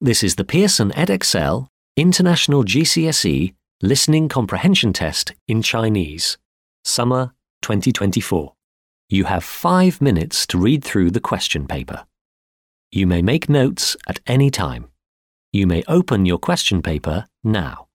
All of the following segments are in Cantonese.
This is the Pearson Edexcel International GCSE Listening Comprehension Test in Chinese, Summer 2024. You have 5 minutes to read through the question paper. You may make notes at any time. You may open your question paper now.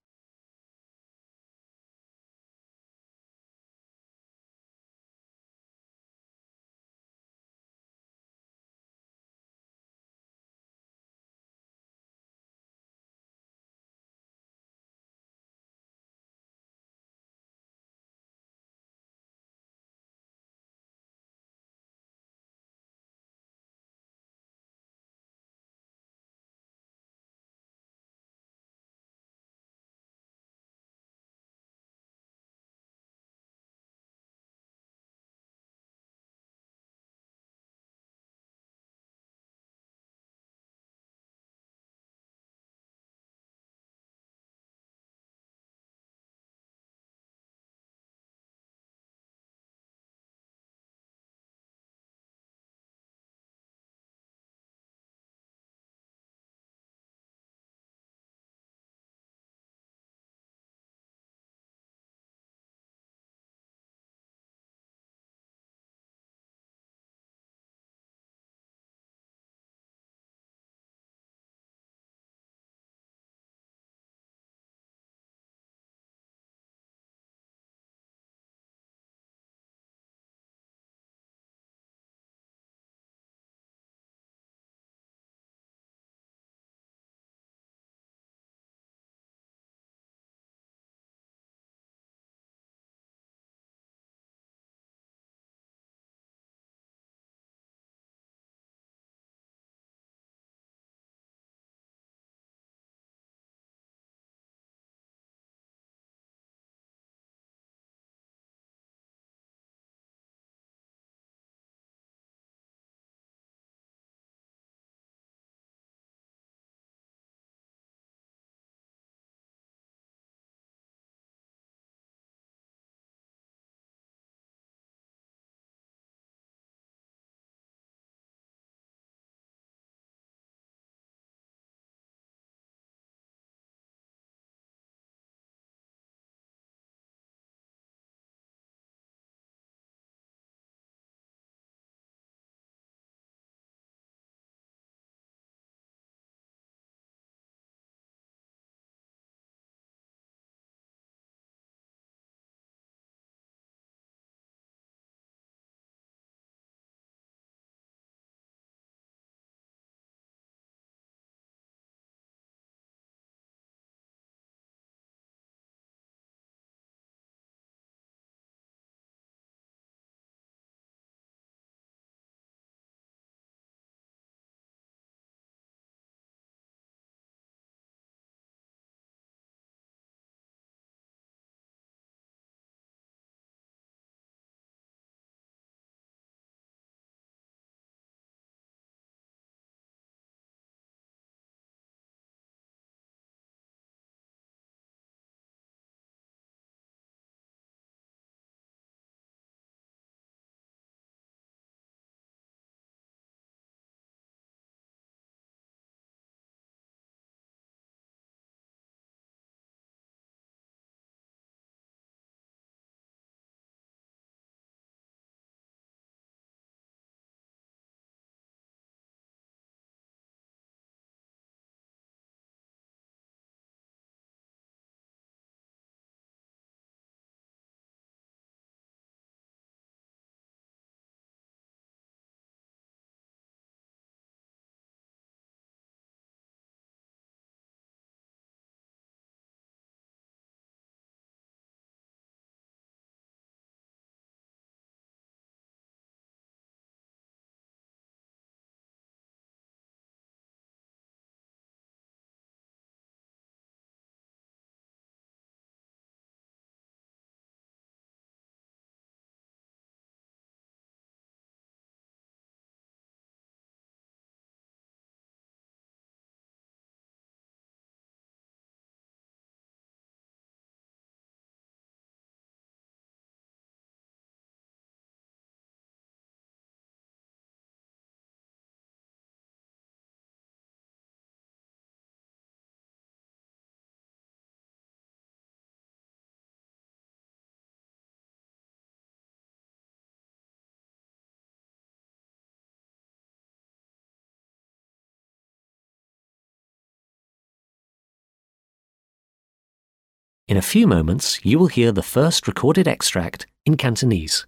In a few moments, you will hear the first recorded extract in Cantonese.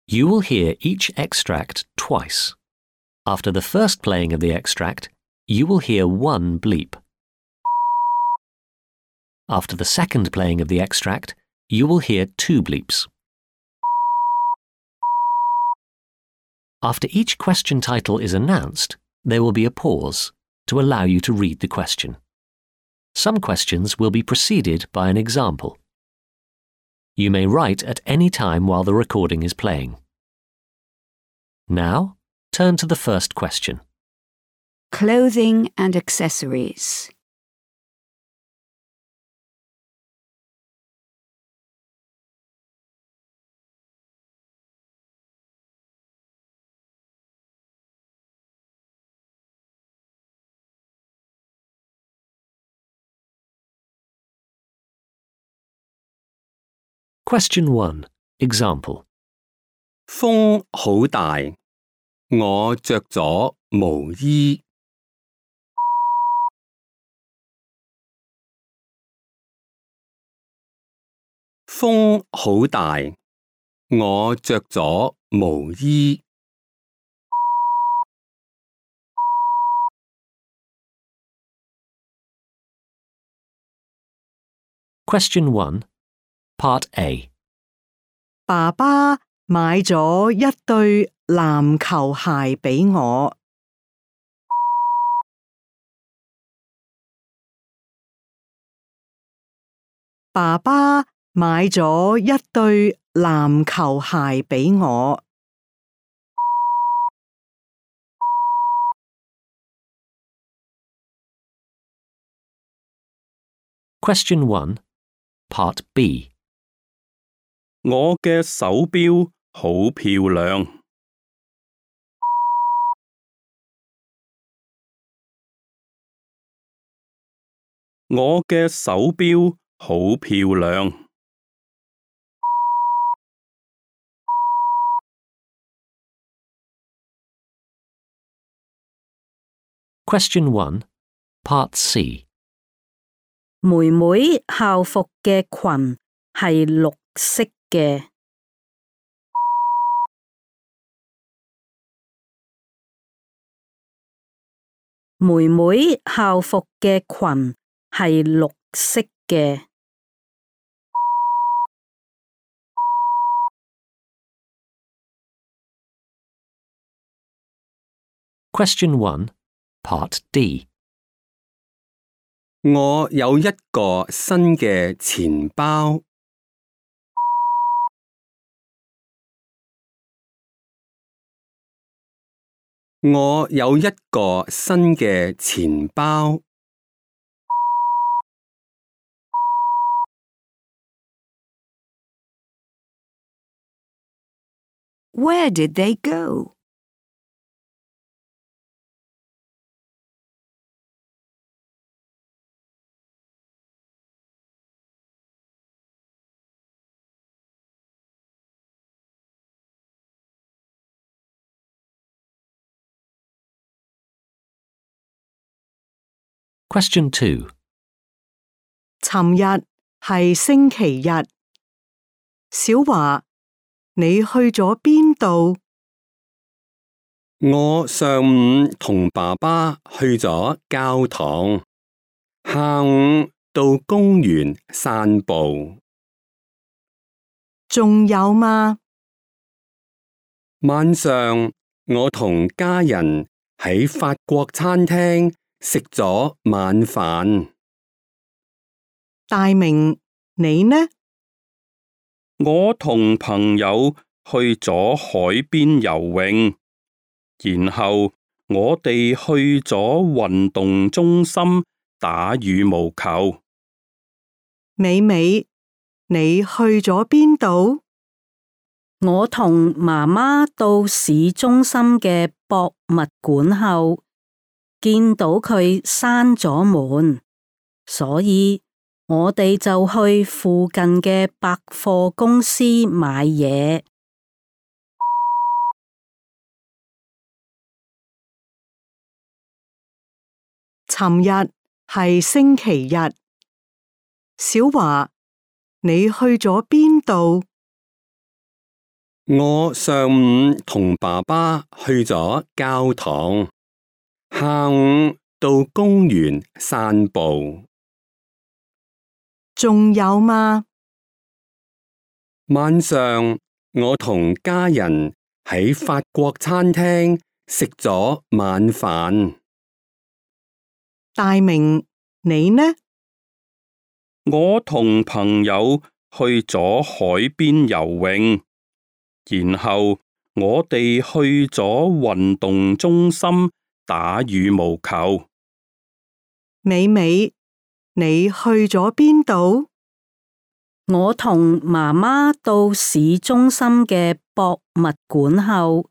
You will hear each extract twice. After the first playing of the extract, you will hear one bleep. After the second playing of the extract, you will hear two bleeps. After each question title is announced, there will be a pause to allow you to read the question. Some questions will be preceded by an example. You may write at any time while the recording is playing. Now, turn to the first question. Clothing and accessories. Question 1. Example. 風好大，我着咗毛衣。風好大，我着咗毛衣。Question 1. Part A. 爸爸買咗一對籃球鞋俾我。爸爸買咗一對籃球鞋俾我。Question 1. Part B. 我嘅手錶好漂亮。我嘅手錶好漂亮。Question 1. Part C. 妹妹校服嘅裙係綠色嘅。妹妹校服嘅裙係綠色嘅。Question 1. Part D. 我有一個新嘅錢包。我有一個新嘅錢包。Where did they go? Question 2. 尋日係星期日。小華，你去咗邊度？我上午同爸爸去咗教堂，下午到公園散步。仲有嗎？晚上我同家人喺法國餐廳食咗晚飯。大明，你呢？我同朋友去咗海邊游泳，然後我哋去咗運動中心打羽毛球。美美，你去咗邊度？我同媽媽到市中心嘅博物館後，見到佢閂咗門，所以我哋就去附近嘅百貨公司買嘢。尋日係星期日。小華，你去咗邊度？我上午同爸爸去咗教堂，下午到公園散步。仲有嗎？晚上我同家人喺法國餐廳食咗晚飯。大明，你呢？我同朋友去咗海邊游泳，然後我哋去咗運動中心打羽毛球。美美，你去咗邊度？我同媽媽到市中心嘅博物館後，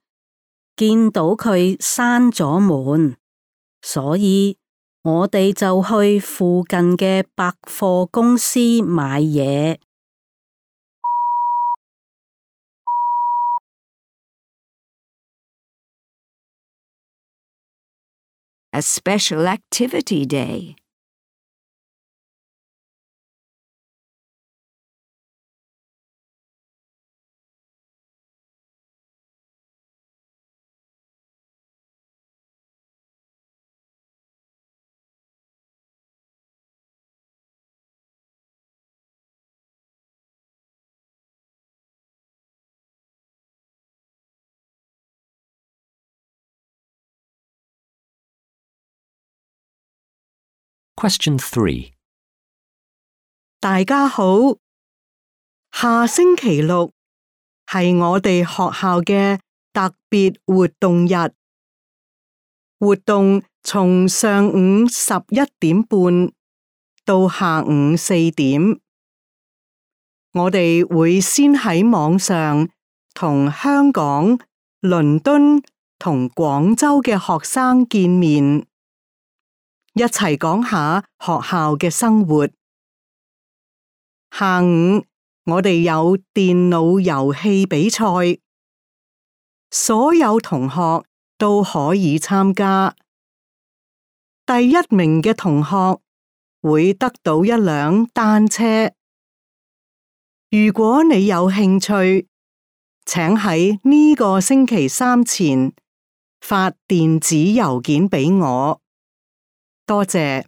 見到佢閂咗門，所以我哋就去附近嘅百貨公司買嘢。A special activity day. Question 3. 大家好，下星期六係我哋學校嘅特別活動日。活動從上午11:30到下午4點。我哋會先喺網上同香港、倫敦同廣州嘅學生見面，一齊講下學校嘅生活。下午我哋有電腦遊戲比賽，所有同學都可以參加。第一名嘅同學會得到一輛單車。如果你有興趣，請喺呢個星期三前發電子郵件俾我。多謝。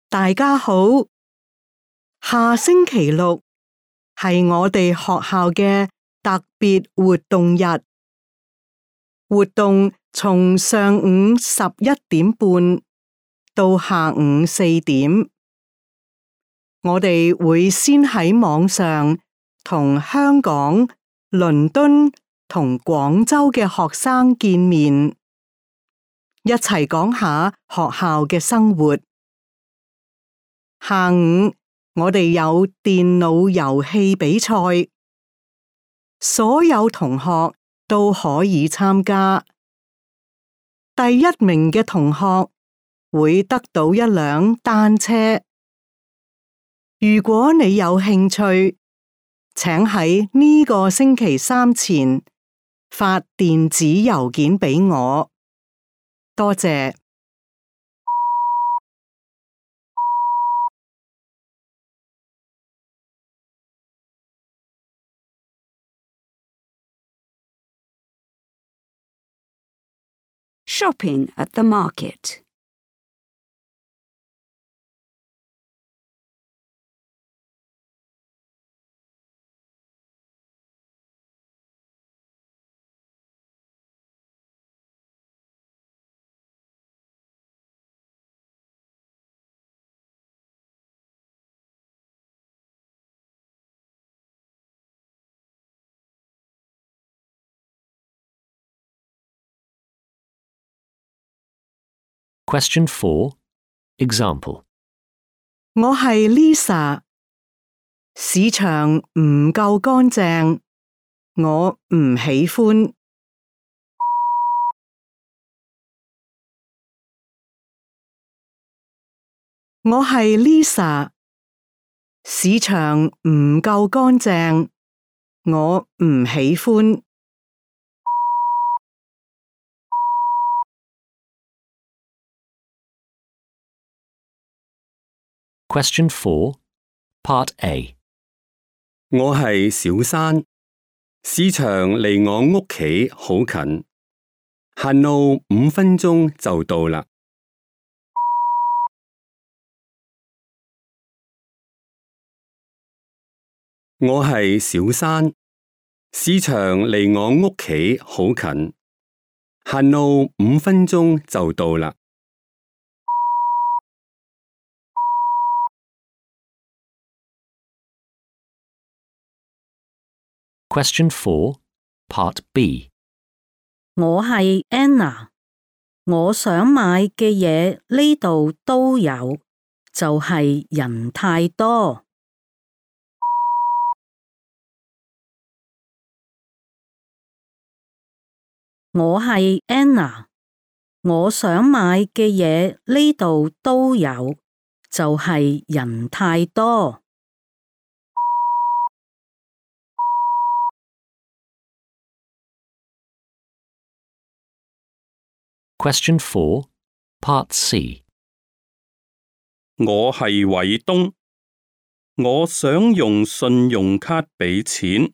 大家好，下星期六係我哋學校嘅特別活動日。活動從上午11:30到下午4點。我哋會先喺網上同香港、倫敦同廣州嘅學生見面，一齊講下學校嘅生活。下午我哋有電腦遊戲比賽，所有同學都可以參加。第一名嘅同學會得到一輛單車。如果你有興趣，請喺呢個星期三前發電子郵件俾我。多謝。Shopping at the market. Question 4. Example. 我係 Lisa， 市場唔夠乾淨，我唔喜歡。我係 Lisa， 市場唔夠乾淨，我唔喜歡。Question 4, Part A. 我係小山，市場離我屋企好近，行路5分鐘就到啦。我係小山，市場離我屋企好近，行路5分鐘就到啦。Question 4, Part B. 我係 Anna， 我想買嘅嘢呢度都有，就係人太多。我係 Anna， 我想買嘅嘢呢度都有，就係人太多。Question 4, Part C. 我係偉東，我想用信用卡俾錢，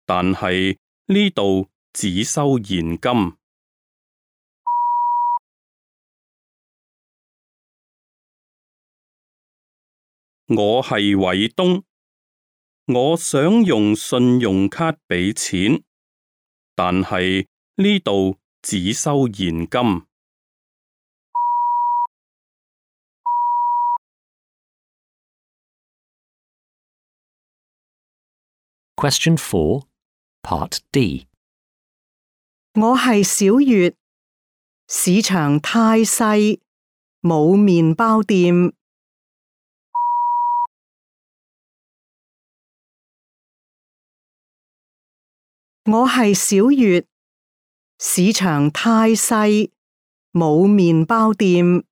但係呢度只收現金。我係偉東，我想用信用卡俾錢，但係呢度只收現金。Question 4, Part D. 我係小月，市場太細，冇麵包店。我係小月，市場太細，冇麵包店。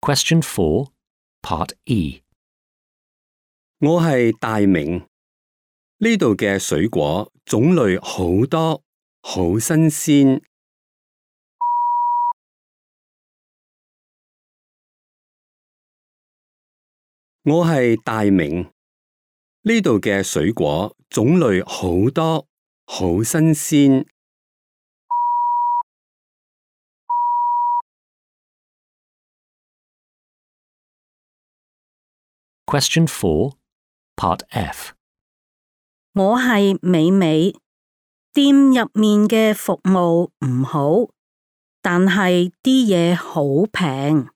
Question 4, Part E. 我係大明，呢度嘅水果種類好多，好新鮮。我係大明，呢度嘅水果種類好多，好新鮮。Question 4, Part F. 我係美美，店入面嘅服務唔好，但係啲嘢好平。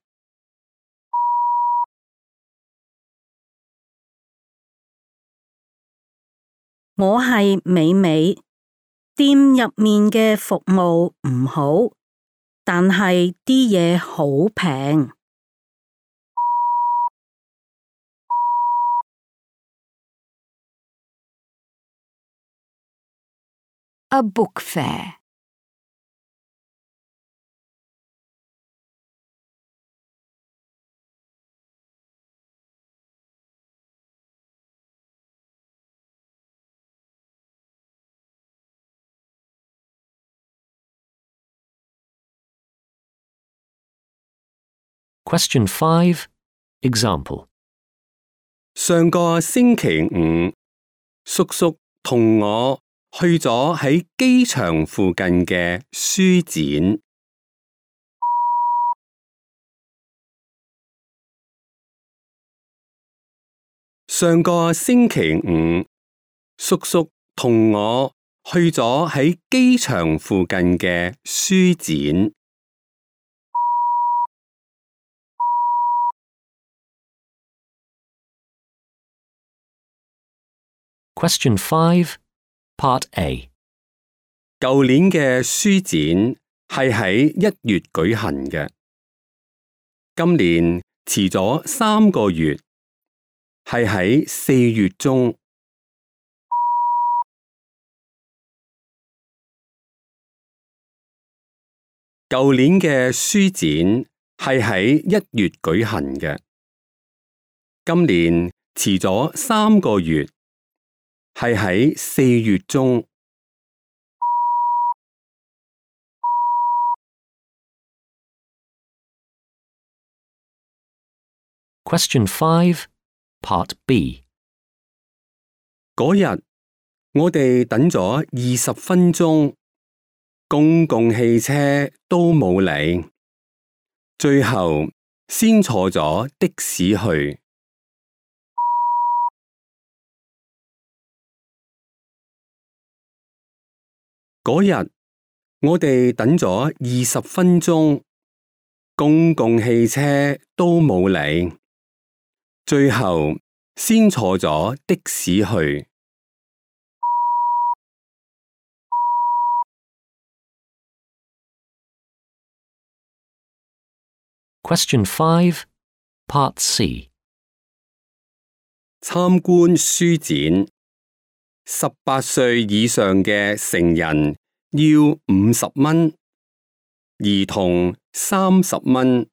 我係美美，店入面嘅服務唔好，但係啲嘢好平。A book fair. Question 5, Example. 上個星期五，叔叔同我去咗喺機場附近嘅書展。上個星期五，叔叔同我去咗喺機場附近嘅書展。Question 5, Part A. 舊年嘅書展係喺1月舉行嘅，今年遲咗3個月，係喺4月中。舊年嘅書展係喺1月舉行嘅，今年遲咗3個月，係喺4月中。Question 5, Part B. 嗰日我哋等咗20分鐘，公共汽車都冇嚟，最後先坐咗的士去。嗰日我哋等咗20分鐘，公共汽車都冇嚟，最後先坐咗的士去。Question 5, Part C. 參觀書展，18歲以上嘅成人要50蚊，兒童30蚊。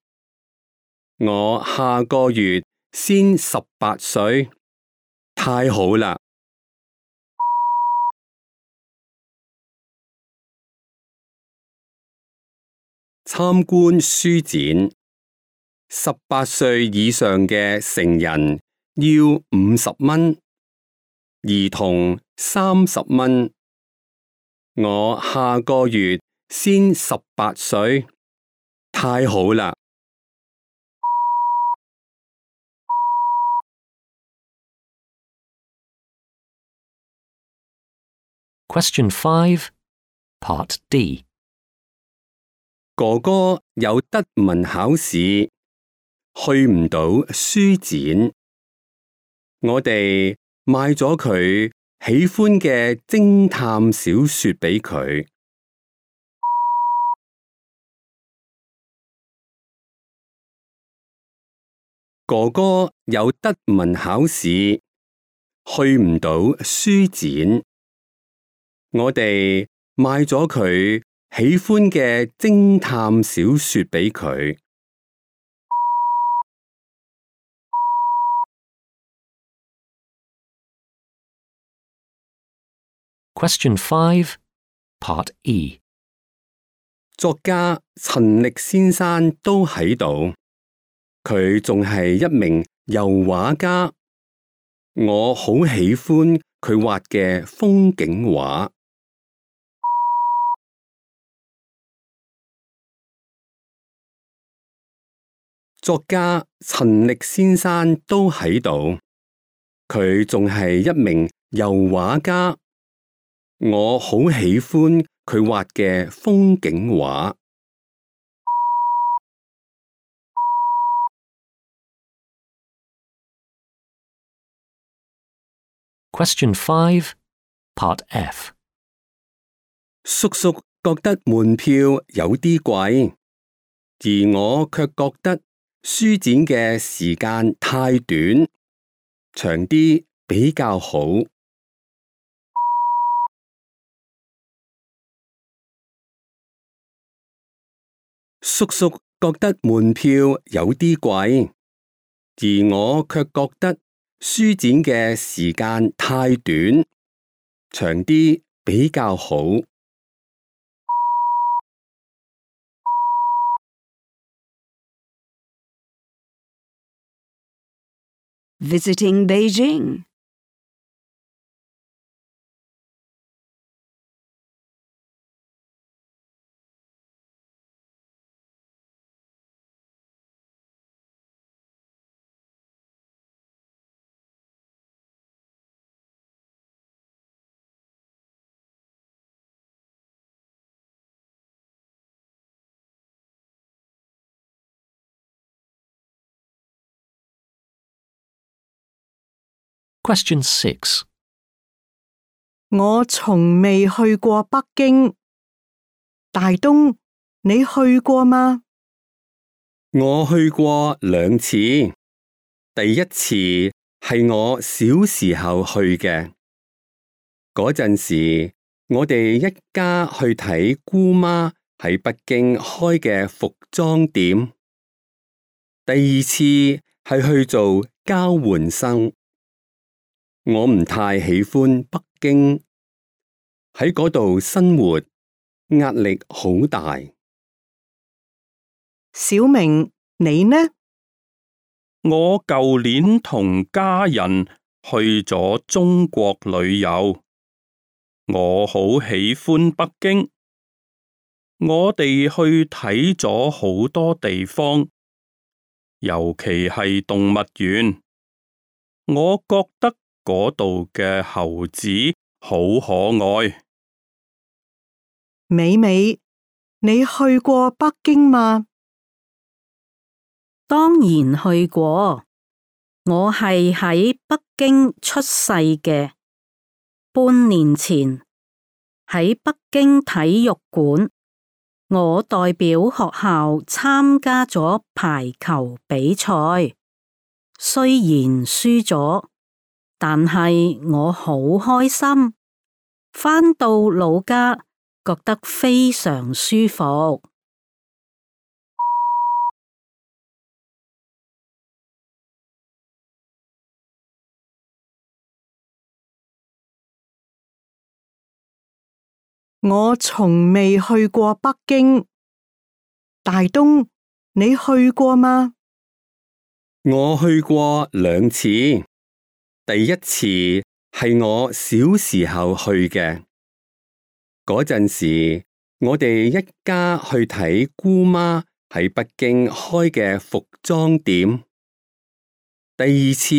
我下個月先18歲，太好啦！參觀書展，18歲以上嘅成人要50蚊，兒童30蚊。我下個月先18歲，太好啦！Question 5, Part D. 哥哥有德文考試，去唔到書展。我哋買咗佢喜歡嘅偵探小說俾佢。哥哥有德文考試，去唔到書展。我哋買咗佢喜歡嘅偵探小說俾佢。Question 5, Part E. 作家陳力先生都喺度，佢仲係一名油畫家。我好喜歡佢畫嘅風景畫。作家陳力先生都喺度，佢仲係一名油畫家。我好喜歡佢畫嘅風景畫。Question 5, Part F. 叔叔覺得門票有啲貴，而我卻覺得書展嘅時間太短，長啲比較好。叔叔覺得門票有啲貴，而我卻覺得書展嘅時間太短，長啲比較好。Visiting Beijing. Question 6. 我從未去過北京。大東，你去過嗎？我去過2次，第一次係我小時候去嘅，嗰陣時我哋一家去睇姑媽喺北京開嘅服裝店。第二次係去做交換生。我唔太喜歡北京，喺嗰度生活壓力好大。小明，你呢？我舊年同家人去咗中國旅遊，我好喜歡北京。我哋去睇咗好多地方，尤其係動物園。我覺得嗰度嘅猴子好可愛。美美，你去過北京嗎？當然去過，我係喺北京出世嘅。半年前喺北京體育館，我代表學校參加咗排球比賽，雖然輸咗，但係我好開心。返到老家，覺得非常舒服。我從未去過北京。大東，你去過嗎？我去過2次，第一次係我小時候去嘅，嗰陣時我哋一家去睇姑媽喺北京開嘅服裝店。第二次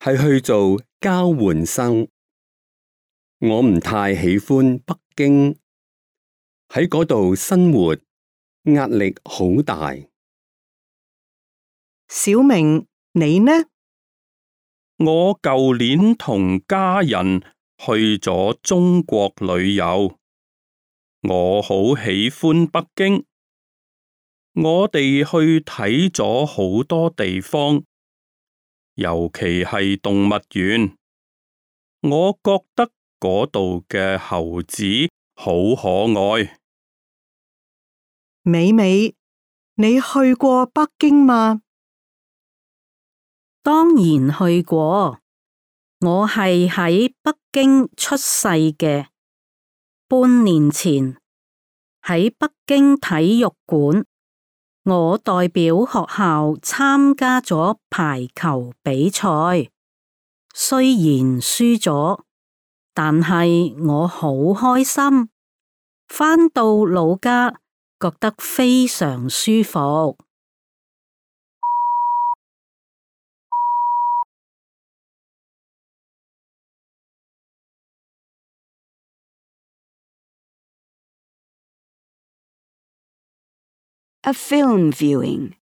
係去做交換生，我唔太喜歡北京，喺嗰度生活壓力好大。小明，你呢？我舊年同家人去咗中國旅遊，我好喜歡北京。我哋去睇咗好多地方，尤其係動物園。我覺得嗰度嘅猴子好可愛。美美，你去過北京嗎？當然去過，我係喺北京出世嘅。半年前喺北京體育館，我代表學校參加咗排球比賽，雖然輸咗，但係我好開心。返到老家，覺得非常舒服。A film viewing.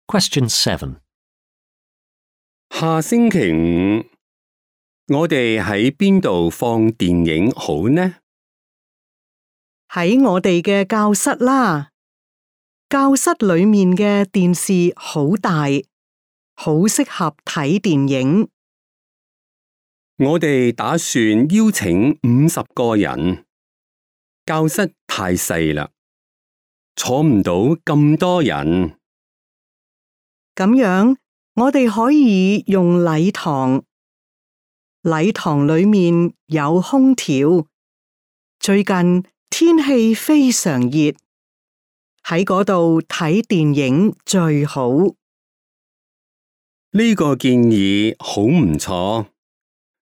Question 7. 下星期五，我哋喺邊度放電影好呢？喺我哋嘅教室啦。教室裏面嘅電視好大，好適合睇電影。我哋打算邀請50個人，教室太細啦，坐唔到咁多人。咁樣，我哋可以用禮堂。禮堂裏面有空調，最近天氣非常熱，喺嗰度睇電影最好。呢個建議好唔錯，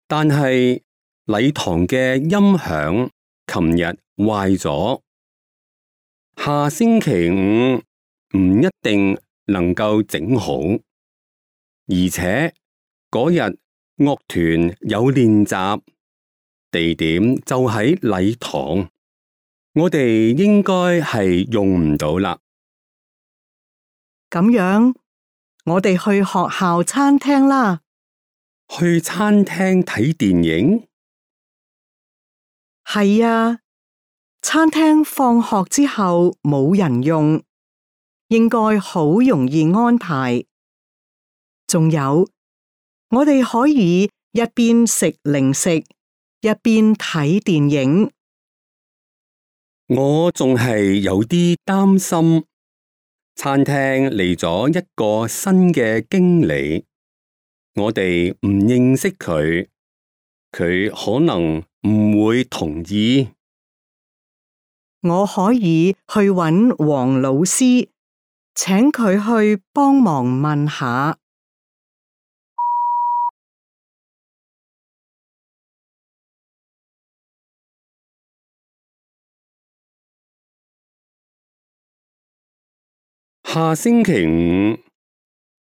但係禮堂嘅音響琴日壞咗，下星期五唔一定能夠整好，而且嗰日樂團有練習，地點就喺禮堂，我哋應該係用唔到啦。咁樣，我哋去學校餐廳啦。去餐廳睇電影？係啊，餐廳放學之後冇人用，應該好容易安排。仲有，我哋可以一邊食零食，一邊睇電影。我仲係有啲擔心，餐廳嚟咗一個新嘅經理，我哋唔認識佢，佢可能唔會同意。我可以去揾黃老師，請佢去幫忙問下。下星期五，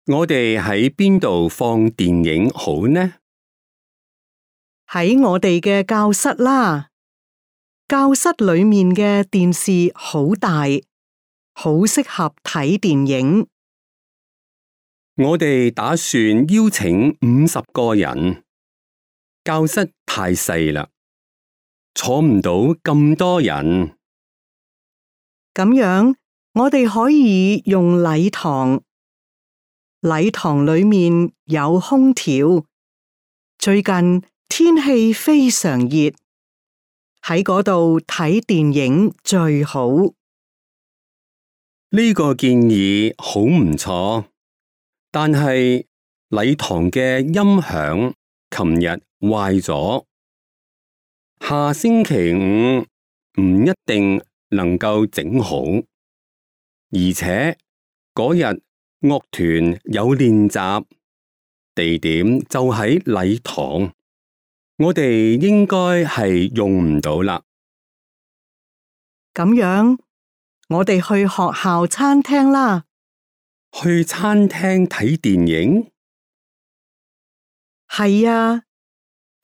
我哋喺邊度放電影好呢？喺我哋嘅教室啦。教室裏面嘅電視好大，好適合睇電影。我哋打算邀請50個人，教室太細啦，坐唔到咁多人。咁樣，我哋可以用禮堂。禮堂裏面有空調，最近天氣非常熱，喺嗰度睇電影最好。呢個建議好唔錯，但係禮堂嘅音響琴日壞咗，下星期五唔一定能夠整好，而且嗰日樂團有練習，地點就喺禮堂，我哋應該係用唔到啦。咁樣，我哋去學校餐廳啦。去餐廳睇電影？係啊，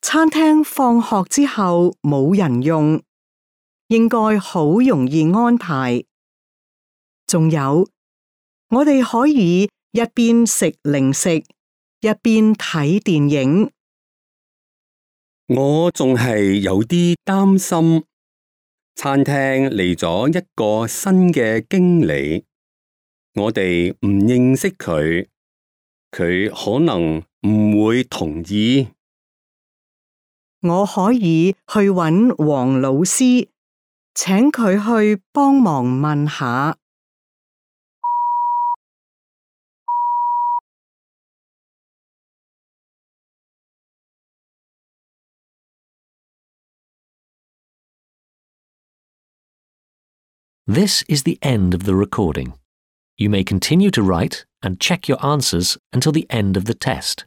餐廳放學之後冇人用，應該好容易安排。仲有，我哋可以一邊食零食，一邊睇電影。我仲係有啲擔心，餐廳嚟咗一個新嘅經理，我哋唔認識佢，佢可能唔會同意。我可以去揾黃老師，請佢去幫忙問下。This is the end of the recording. You may continue to write and check your answers until the end of the test.